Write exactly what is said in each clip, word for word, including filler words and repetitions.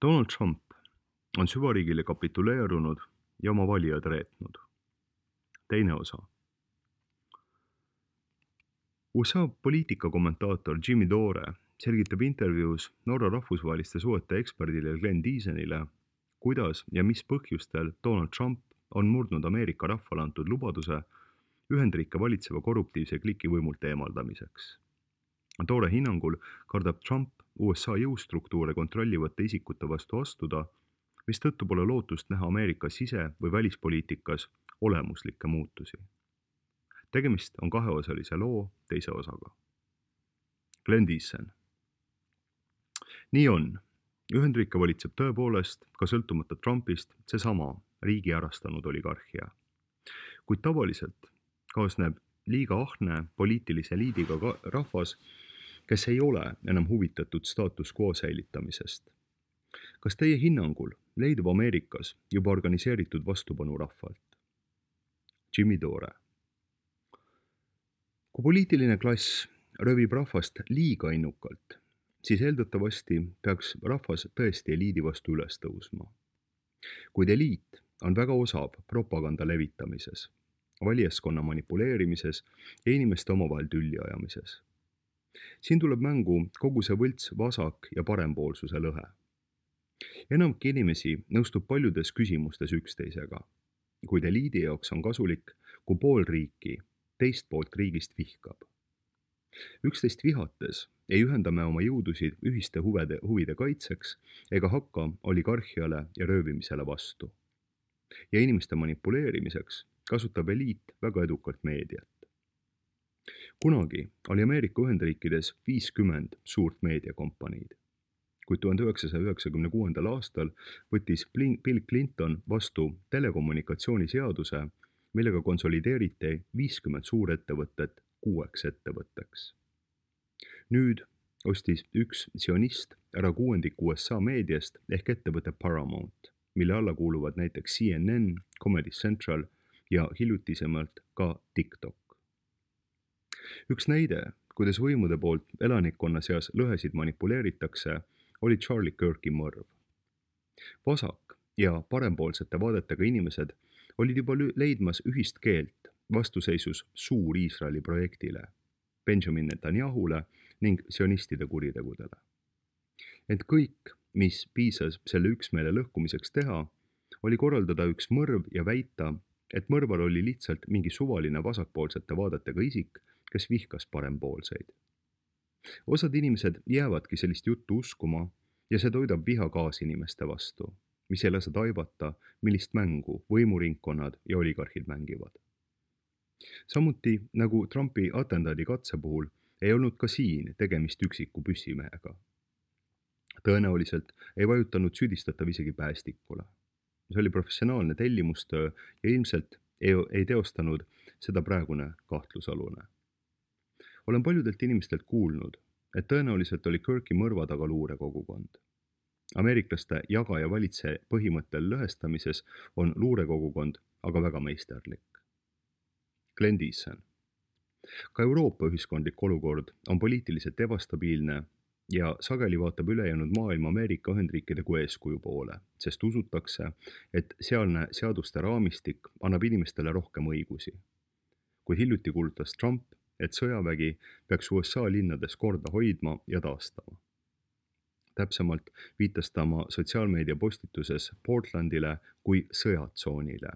Donald Trump on süvariigile kapituleerunud ja oma valijad reetnud. Teine osa. U S A poliitikakommentaator Jimmy Dore selgitab intervjuus Norra rahvusvaheliste suhete eksperdile Glenn Deasonile, kuidas ja mis põhjustel Donald Trump on murdnud Ameerika rahvale antud lubaduse Ühendriike valitseva korruptiivse kliki võimult eemaldamiseks. Dore hinnangul kardab Trump U S A jõustruktuure kontrollivate isikute vastu astuda, mis tõttu pole lootust näha Ameerika sise- või välispoliitikas olemuslikke muutusi. Tegemist on kaheosalise loo teise osaga. Glenn Deason. Nii on. Ühendriike valitseb tõepoolest ka sõltumata Trumpist seesama riigi ärastanud oligarhia. Kuid tavaliselt kaasneb liiga ahne poliitilise eliidiga rahvas, kes ei ole enam huvitatud status quo säilitamisest. Kas teie hinnangul leidub Ameerikas juba organiseeritud vastupanu rahvalt? Jimmy Dore. Kui poliitiline klass rövib rahvast liiga innukalt, siis eeldatavasti peaks rahvas tõesti eliidi vastu üles tõusma. Kuid eliit on väga osav propaganda levitamises, valijaskonna manipuleerimises ja inimeste omavahel tülli ajamises. Siin tuleb mängu kogu see võlts vasak- ja parempoolsuse lõhe. Enamki inimesi nõustub paljudes küsimustes üksteisega, kuid eliidi jaoks on kasulik, kui pool riiki teist poolt riigist vihkab. Üksteist vihates ei ühenda me oma jõudusid ühiste huvide, huvide kaitseks ega hakka oligarhiale ja röövimisele vastu. Ja inimeste manipuleerimiseks kasutab eliit väga edukalt meediat. Kunagi oli Ameerika Ühendriikides viiskümmend suurt meediakompaniid, kuid tuhande üheksasaja üheksakümne kuuendal aastal võttis Bill Clinton vastu telekommunikatsiooniseaduse, millega konsolideeriti viiskümmend suurettevõtet kuueks ettevõtteks. Nüüd ostis üks sionist ära kuuendiku U S A meediast ehk ettevõte Paramount, mille alla kuuluvad näiteks C N N, Comedy Central ja hiljutisemalt ka TikTok. Üks näide, kuidas võimude poolt elanikkonna seas lõhesid manipuleeritakse, oli Charlie Kirki mõrv. Vasak- ja parempoolsete vaadetega inimesed olid juba leidmas ühist keelt vastuseisus suur Iisraeli projektile, Benjamin Netanyahule ning sionistide kuritegudele. Ent kõik, mis piisas selle üksmeele lõhkumiseks teha, oli korraldada üks mõrv ja väita, et mõrval oli lihtsalt mingi suvaline vasakpoolsete vaadetega isik, kes vihkas parempoolseid. Osad inimesed jäävadki sellist juttu uskuma ja see toidab viha kaasinimeste vastu, mis ei lase taibata, millist mängu võimuringkonnad ja oligarhid mängivad. Samuti nagu Trumpi atendaadi katse puhul ei olnud ka siin tegemist üksiku püssimehega. Tõenäoliselt ei vajutanud süüdistatav isegi päästikule. See oli professionaalne tellimustöö ja ilmselt ei, ei teostanud seda praegune kahtlusalune. Olen paljudelt inimestelt kuulnud, et tõenäoliselt oli Kirki mõrva taga luurekogukond. Ameeriklaste jaga ja valitse põhimõttel lõhestamises on luurekogukond aga väga meisterlik. Glenn Deason. Ka Euroopa ühiskondlik olukord on poliitiliselt ebastabiilne ja sageli vaatab ülejäänud maailma Ameerika Ühendriikide kui eeskuju poole, sest usutakse, et sealne seaduste raamistik annab inimestele rohkem õigusi. Kuid hiljuti kuulutas Trump, et sõjavägi peaks U S A linnades korda hoidma ja taastama. Täpsemalt viitas ta oma sotsiaalmeedia postituses Portlandile kui sõjatsoonile.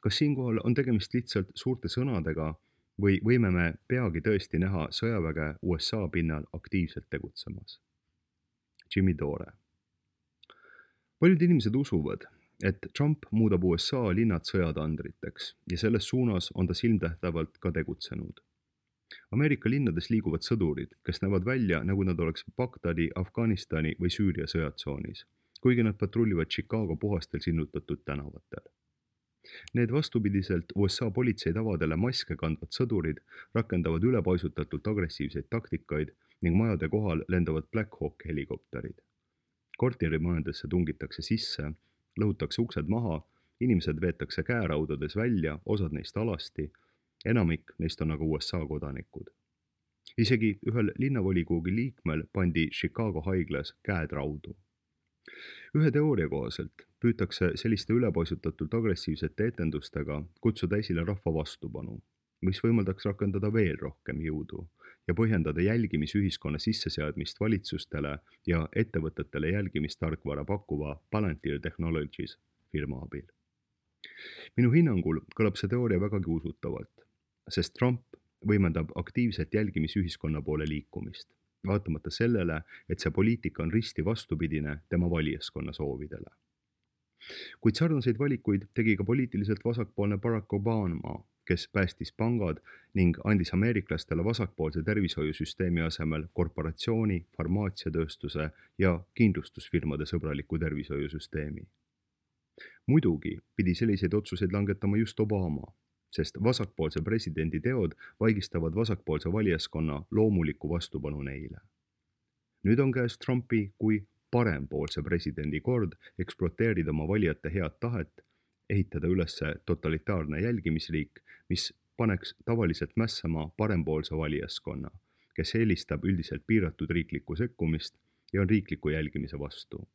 Kas siinkohal on tegemist lihtsalt suurte sõnadega või võime me peagi tõesti näha sõjaväge U S A pinnal aktiivselt tegutsemas? Jimmy Dore. Paljud inimesed usuvad, et Trump muudab U S A linnad sõjatandriteks ja selles suunas on ta silmtähtavalt ka tegutsenud. Ameerika linnades liiguvad sõdurid, kes näevad välja, nagu nad oleks Bagdadi, Afganistani või Süüria sõjatsoonis, kuigi nad patrullivad Chicago puhastel sillutatud tänavatel. Need vastupidiselt U S A politsei tavadele maske kandvad sõdurid rakendavad ülepaisutatult agressiivseid taktikaid ning majade kohal lendavad Black Hawk helikopterid. Korterimajadesse tungitakse sisse, lõhutakse uksed maha, inimesed veetakse käeraudades välja, osad neist alasti, enamik neist on aga U S A kodanikud. Isegi ühel linnavolikogu liikmel pandi Chicago haiglas käed raudu. ühe teooria kohaselt püütakse selliste ülepaisutatult agressiivsete etendustega kutsuda esile rahva vastupanu, mis võimaldaks rakendada veel rohkem jõudu ja põhjendada jälgimisühiskonna sisseseadmist valitsustele ja ettevõtetele jälgimistarkvara pakkuva Palantir Technologies firma abil. Minu hinnangul kõlab see teooria vägagi usutavalt, sest Trump võimendab aktiivset jälgimisühiskonna poole liikumist, vaatamata sellele, et see poliitika on risti vastupidine tema valijaskonna soovidele. Kuid sarnaseid valikuid tegi ka poliitiliselt vasakpoolne Barack Obama, kes päästis pangad ning andis ameeriklastele vasakpoolse tervishoiusüsteemi asemel korporatsiooni, farmaatsiatööstuse ja kindlustusfirmade sõbraliku tervishoiusüsteemi. Muidugi pidi selliseid otsuseid langetama just Obama, sest vasakpoolse presidendi teod vaigistavad vasakpoolse valijaskonna loomuliku vastupanu neile. Nüüd on käes Trumpi kui parempoolse presidendi kord eksploateerida oma valijate head tahet, ehitada üles totalitaarne jälgimisriik, mis paneks tavaliselt mässama parempoolse valijaskonna, kes eelistab üldiselt piiratud riiklikku sekkumist ja on riikliku jälgimise vastu.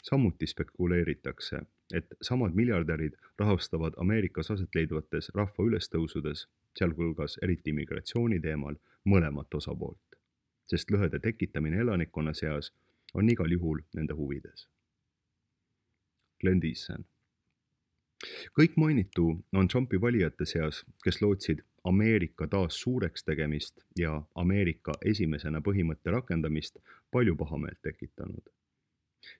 Samuti spekuleeritakse, et samad miljardärid rahastavad Ameerikas aset leidvates rahva ülestõusudes, sealhulgas eriti immigratsiooni teemal, mõlemat osapoolt, sest lõhede tekitamine elanikkonna seas on igal juhul nende huvides. Glenn Thiessen. Kõik mainitu on Trumpi valijate seas, kes lootsid Ameerika taas suureks tegemist ja Ameerika esimesena põhimõtte rakendamist palju pahameelt tekitanud.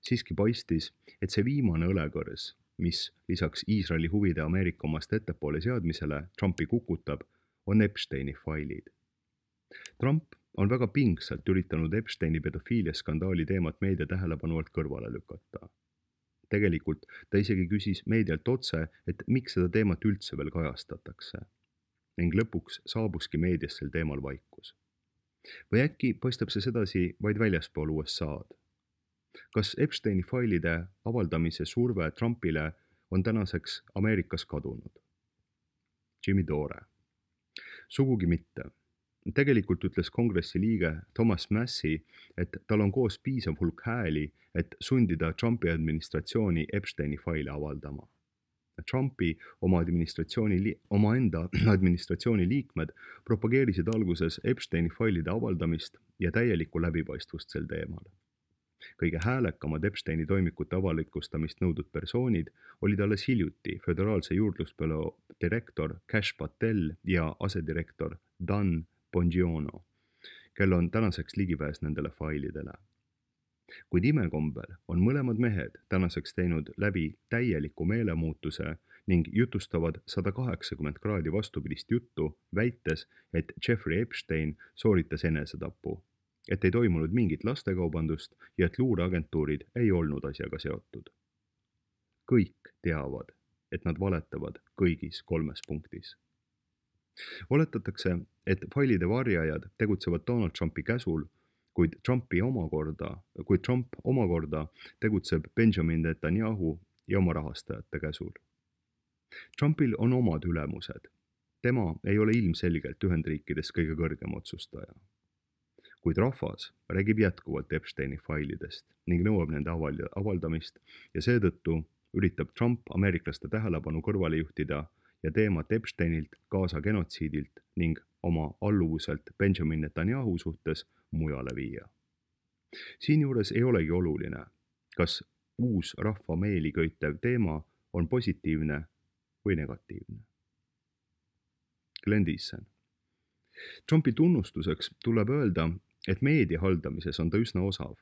Siiski paistis, et see viimane õlekõrs, mis lisaks Iisraeli huvide Ameerika omast ettepoole seadmisele Trumpi kukutab, on Epsteini failid. Trump on väga pingsalt üritanud Epsteini pedofiiliaskandaali teemat meedia tähelepanu alt kõrvale lükata. Tegelikult ta isegi küsis meedialt otse, et miks seda teemat üldse veel kajastatakse. Ning lõpuks saabuski meedias sel teemal vaikus. Või äkki paistab see sedasi vaid väljaspool U S A-d? Kas Epsteini failide avaldamise surve Trumpile on tänaseks Ameerikas kadunud? Jimmy Dore. Sugugi mitte. Tegelikult ütles kongressi liige Thomas Massie, et tal on koos piisav hulk hääli, et sundida Trumpi administratsiooni Epsteini faile avaldama. Trumpi oma administratsiooni, omaenda administratsiooni liikmed propageerisid alguses Epsteini failide avaldamist ja täielikku läbipaistvust sel teemal. Kõige häälekamad Epsteini toimikute avalikustamist nõudnud persoonid olid alles hiljuti föderaalse juurdlusbüroo direktor Kash Patel ja asedirektor Dan Bongiono, kel on tänaseks ligipääs nendele failidele. Kuid imekombel on mõlemad mehed tänaseks teinud läbi täieliku meelemuutuse ning jutustavad sada kaheksakümmend kraadi vastupidist juttu, väites, et Jeffrey Epstein sooritas enesetapu, et ei toimunud mingit lastekaubandust ja et luureagentuurid ei olnud asjaga seotud. Kõik teavad, et nad valetavad kõigis kolmes punktis. Oletatakse, et failide varjajad tegutsevad Donald Trumpi käsul, kuid Trumpi omakorda, kuid Trump omakorda tegutseb Benjamin Netanyahu ja oma rahastajate käsul. Trumpil on omad ülemused. Tema ei ole ilmselgelt Ühendriikides kõige kõrgem otsustaja. Kuid rahvas räägib jätkuvalt Epsteini failidest ning nõuab nende avaldamist ja seetõttu üritab Trump ameeriklaste tähelepanu kõrvale juhtida ja teemat Epsteinilt, Gaza genotsiidilt ning oma alluvuselt Benjamin Netanyahu suhtes mujale viia. Siinjuures ei olegi oluline, kas uus rahva meeli köitev teema on positiivne või negatiivne. Glenn Thiessen. Trumpi tunnustuseks tuleb öelda, et meedia haldamises on ta üsna osav.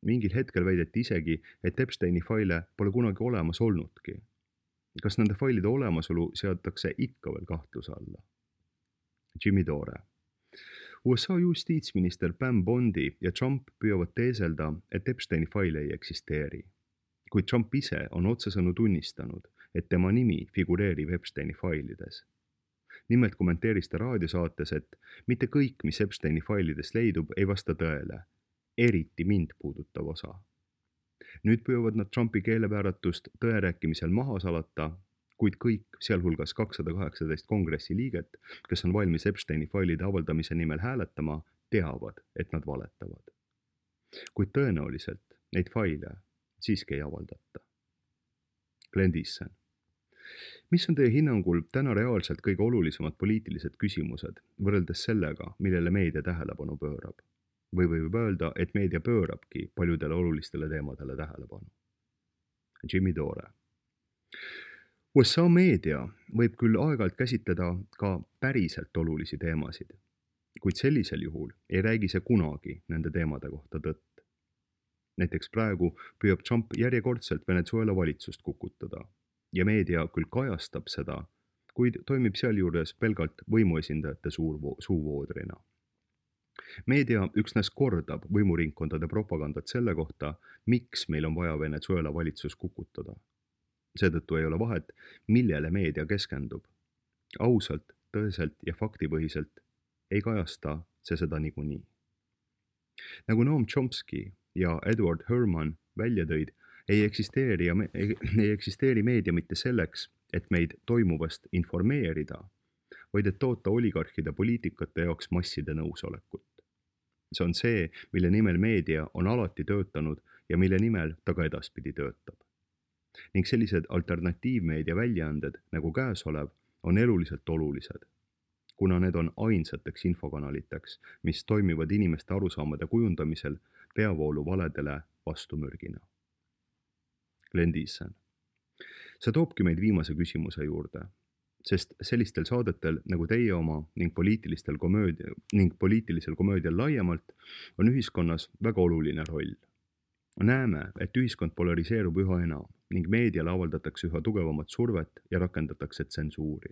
Mingil hetkel väideti isegi, et Epsteini faile pole kunagi olemas olnudki. Kas nende failide olemasolu seatakse ikka veel kahtluse alla? Jimmy Dore. U S A justiitsminister Pam Bondi ja Trump püüavad teeselda, et Epsteini faile ei eksisteeri. Kuid Trump ise on otsesõnu tunnistanud, et tema nimi figureerib Epsteini failides. Nimelt kommenteeris ta raadiosaates, et mitte kõik, mis Epsteini failides leidub, ei vasta tõele, eriti mind puudutav osa. Nüüd püüavad nad Trumpi keelevääratust tõerääkimisel maha salata, kuid kõik, sealhulgas kakssada kaheksateist kongressi liiget, kes on valmis Epsteini failide avaldamise nimel hääletama, teavad, et nad valetavad. Kuid tõenäoliselt neid faile siiski ei avaldata. Glenn Thiessen. Mis on teie hinnangul täna reaalselt kõige olulisemad poliitilised küsimused võrreldes sellega, millele meedia tähelepanu pöörab? Või võib öelda, et meedia pöörabki paljudele olulistele teemadele tähelepanu? Jimmy Dore. U S A meedia võib küll aeg-ajalt käsitleda ka päriselt olulisi teemasid, kuid sellisel juhul ei räägi see kunagi nende teemade kohta tõtt. Näiteks praegu püüab Trump järjekordselt Venezuela valitsust kukutada ja meedia küll kajastab seda, kuid toimib sealjuures pelgalt võimuesindajate suur suuvoodrina. Meedia üksnes kordab võimuringkondade propagandat selle kohta, miks meil on vaja Venezuela valitsus kukutada. Seetõttu ei ole vahet, millele meedia keskendub. Ausalt, tõeselt ja faktipõhiselt ei kajasta see seda niikuinii. Nagu Noam Chomsky ja Edward Herman välja tõid, ei eksisteeri, ja me, ei, ei eksisteeri meedia mitte selleks, et meid toimuvast informeerida, vaid et toota oligarhide poliitikate jaoks masside nõusolekut. See on see, mille nimel meedia on alati töötanud ja mille nimel ta ka edaspidi töötab. Ning sellised alternatiivmeedia väljaanded nagu käesolev on eluliselt olulised, kuna need on ainsateks infokanaliteks, mis toimivad inimeste arusaamade kujundamisel peavoolu valedele vastumürgina. Glenn Thiessen. See toobki meid viimase küsimuse juurde, sest sellistel saadetel nagu teie oma ning, poliitilistel komöödia, ning poliitilisel komöödial laiemalt on ühiskonnas väga oluline roll. Näeme, et ühiskond polariseerub üha enam ning meediale avaldatakse üha tugevamat survet ja rakendatakse tsensuuri.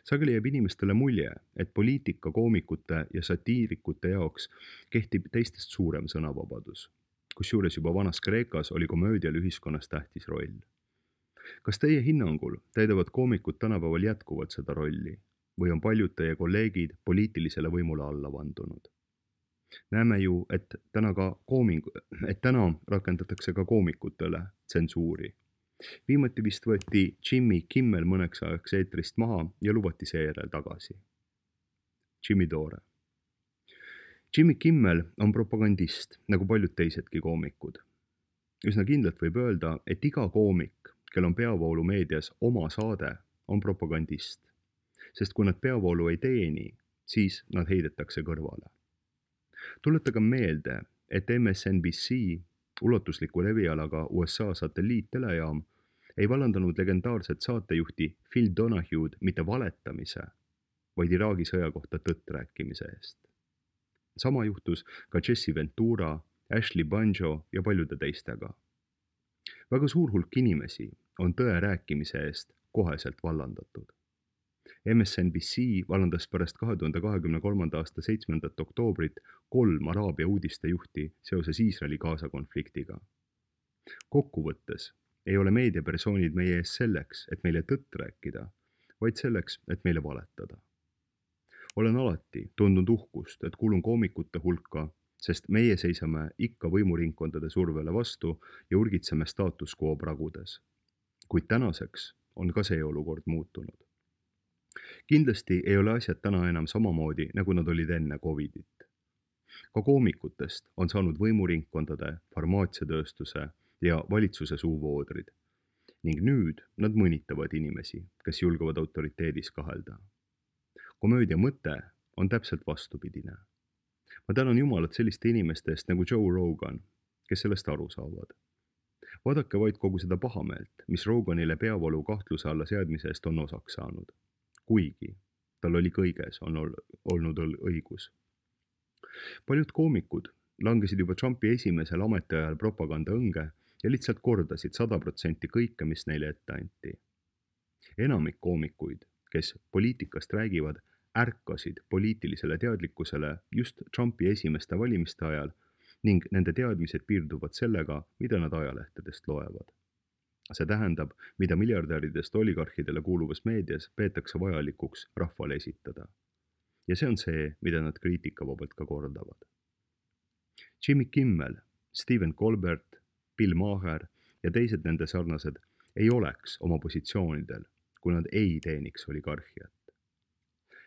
Sageli jääb inimestele mulje, et poliitika, koomikute ja satiirikute jaoks kehtib teistest suurem sõnavabadus, kusjuures juba vanas Kreekas oli komöödial ühiskonnas tähtis roll. Kas teie hinnangul täidavad koomikud tänapäeval jätkuvalt seda rolli või on paljud teie kolleegid poliitilisele võimule alla vandunud? Näeme ju, et täna, ka kooming, et täna rakendatakse ka koomikutele tsensuuri. Viimati vist võeti Jimmy Kimmel mõneks ajaks eetrist maha ja lubati seejärel tagasi. Jimmy Dore. Jimmy Kimmel on propagandist, nagu paljud teisedki koomikud. Üsna kindlalt võib öelda, et iga koomik, kel on peavoolu meedias oma saade, on propagandist, sest kui nad peavoolu ei teeni, siis nad heidetakse kõrvale. Tuletage meelde, et M S N B C, ulatusliku levialaga U S A satelliittelejaam, ei vallandanud legendaarset saatejuhti Phil Donahue'd mitte valetamise, vaid Iraagi sõja kohta tõtt rääkimise eest. Sama juhtus ka Jesse Ventura, Ashley Banjo ja paljude teistega. Väga suur hulk inimesi on tõe rääkimise eest koheselt vallandatud. M S N B C vallandas pärast kahe tuhande kahekümne kolmanda aasta seitsmendat oktoobrit kolm Araabia uudistejuhti seoses Iisraeli-Gaza konfliktiga. Kokkuvõttes ei ole meediapersoonid meie ees selleks, et meile tõtt rääkida, vaid selleks, et meile valetada. Olen alati tundnud uhkust, et kuulun koomikute hulka, sest meie seisame ikka võimuringkondade survele vastu ja urgitseme status quo pragudes. Kuid tänaseks on ka see olukord muutunud. Kindlasti ei ole asjad täna enam samamoodi, nagu nad olid enne Covidit. Ka koomikutest on saanud võimuringkondade, farmaatsiatööstuse ja valitsuse suuvoodrid. Ning nüüd nad mõnitavad inimesi, kes julgevad autoriteedis kahelda. Komöödia mõte on täpselt vastupidine. Ma tänan Jumalat selliste inimeste eest nagu Joe Rogan, kes sellest aru saavad. Vaadake vaid kogu seda pahameelt, mis Roganile peavoolu kahtluse alla seadmise eest on osaks saanud. Kuigi tal oli kõiges on olnud õigus. Paljud koomikud langesid juba Trumpi esimesel ametiajal propaganda õnge ja lihtsalt kordasid sada protsenti kõike, mis neile ette anti. Enamik koomikuid, kes poliitikast räägivad, ärkasid poliitilisele teadlikkusele just Trumpi esimeste valimiste ajal ning nende teadmised piirduvad sellega, mida nad ajalehtedest loevad. See tähendab, mida miljardäridest oligarhidele kuuluvas meedias peetakse vajalikuks rahvale esitada. Ja see on see, mida nad kriitikavabalt ka kordavad. Jimmy Kimmel, Stephen Colbert, Bill Maher ja teised nende sarnased ei oleks oma positsioonidel, kui nad ei teeniks oligarhiat.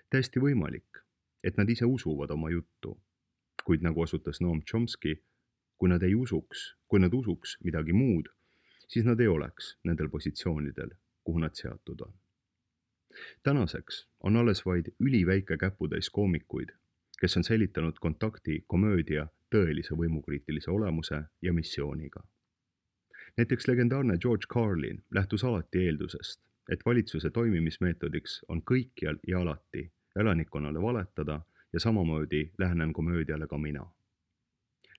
Täiesti võimalik, et nad ise usuvad oma juttu, kuid nagu osutas Noam Chomsky, kui nad ei usuks, kui nad usuks midagi muud, siis nad ei oleks nendel positsioonidel, kuhu nad seatud on. Tänaseks on alles vaid üliväike käputäis koomikuid, kes on säilitanud kontakti komöödia tõelise võimukriitilise olemuse ja missiooniga. Näiteks legendaarne George Carlin lähtus alati eeldusest, et valitsuse toimimismeetodiks on kõikjal ja alati elanikkonnale valetada ja samamoodi lähenen komöödiale ka mina.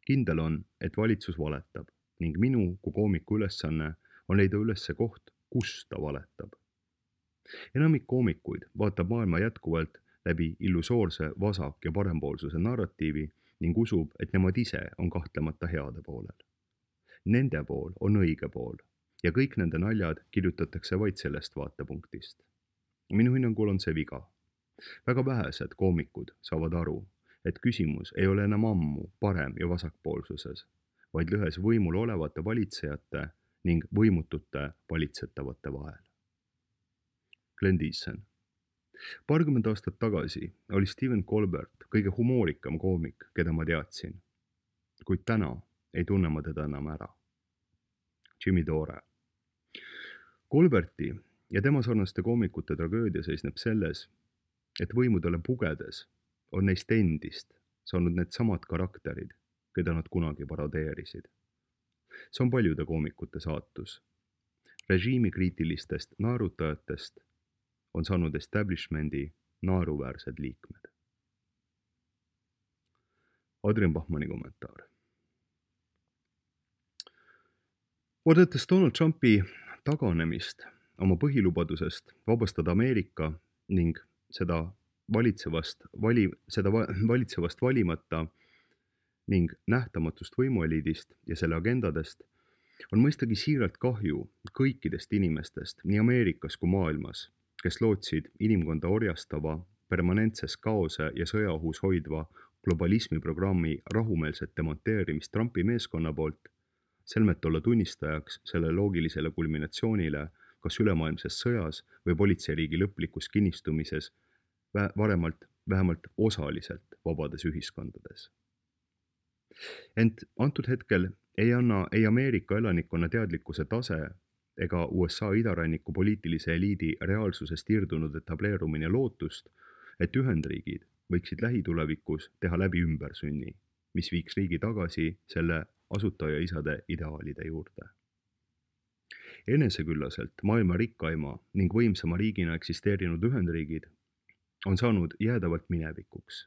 Kindel on, et valitsus valetab ning minu kui koomiku ülesanne on leida üles see koht, kus ta valetab. Enamik koomikuid vaatab maailma jätkuvalt läbi illusoorse vasak- ja parempoolsuse narratiivi ning usub, et nemad ise on kahtlemata heade poolel. Nende pool on õige pool ja kõik nende naljad kirjutatakse vaid sellest vaatepunktist. Minu hinnangul on see viga. Väga vähesed koomikud saavad aru, et küsimus ei ole enam ammu parem- ja vasakpoolsuses, vaid lõhes võimul olevate valitsejate ning võimutute valitsetavate vahel. Glenn Thiessen. Paarkümmend aastat tagasi oli Stephen Colbert kõige humoorikam koomik, keda ma teadsin. Kuid täna ei tunne ma teda enam ära. Jimmy Dore. Colberti ja tema sarnaste koomikute tragöödia seisneb selles, et võimudele pugedes on neist endist saanud need samad karakterid, keda nad kunagi parodeerisid. See on paljude koomikute saatus. Režiimikriitilistest naerutajatest on saanud establishmendi naeruväärsed liikmed. Adrian Bachmanni kommentaar. Vaadates Donald Trumpi taganemist oma põhilubadusest vabastada Ameerika ning seda valitsevast, vali, seda valitsevast valimata ning nähtamatust võimueliidist ja selle agendadest, on mõistagi siiralt kahju kõikidest inimestest nii Ameerikas kui maailmas, kes lootsid inimkonda orjastava, permanentses kaose ja sõjaohus hoidva globalismiprogrammi rahumeelset demonteerimist Trumpi meeskonna poolt, selmet olla tunnistajaks selle loogilisele kulminatsioonile kas ülemaailmses sõjas või politseiriigi lõplikus kinnistumises varemalt vähemalt osaliselt vabades ühiskondades. Ent antud hetkel ei anna ei Ameerika elanikkonna teadlikkuse tase ega U S A idaranniku poliitilise eliidi reaalsusest irdunud etableerumine lootust, et Ühendriigid võiksid lähitulevikus teha läbi ümbersünni, mis viiks riigi tagasi selle asutajaisade ideaalide juurde. Eneseküllaselt maailma rikkaima ning võimsama riigina eksisteerinud Ühendriigid on saanud jäädavalt minevikuks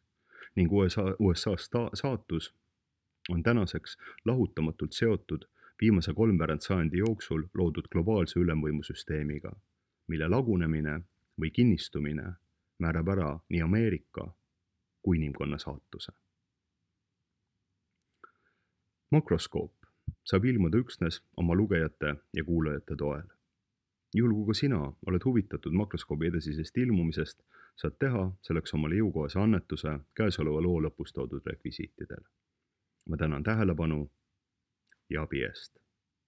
ning U S A, U S A sta- saatus on tänaseks lahutamatult seotud viimase kolmveerand sajandi jooksul loodud globaalse ülemvõimusüsteemiga, mille lagunemine või kinnistumine määrab ära nii Ameerika kui inimkonna saatuse. Makroskoop saab ilmuda üksnes oma lugejate ja kuulajate toel. Juhul kui ka sina oled huvitatud makroskoobi edasisest ilmumisest, saad teha selleks omale jõukohase annetuse käesoleva loo lõpus toodud rekvisiitidel. Ma tänan tähelepanu ja abi eest.